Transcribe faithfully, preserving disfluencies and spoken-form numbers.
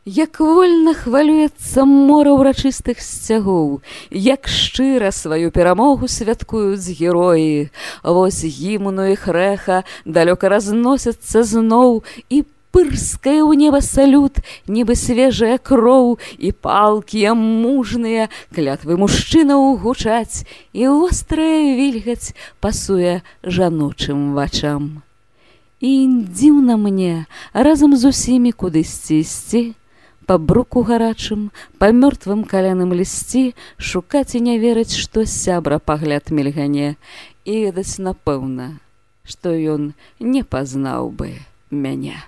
Як вольна хвалюецца мора ўрачыстых сцягоў, як шчыра сваю перамогу святкуюць героі. Вось гімну іх рэха далёка разносяцца зноў, і пырскае ў неба салют, нібы свежая кроў, і палкія мужныя клятвы мужчынаў гучаць, і вострая вільгаць пасуе жаночым вачам. І дзіўна мне разам з усімі кудысьці ісці, па бруку гарачым, па мёртвым каляным лісці, шукаць і не верыць, што сябра пагляд мільгане, і ведаць напэўна, што ён не пазнаў бы мяне.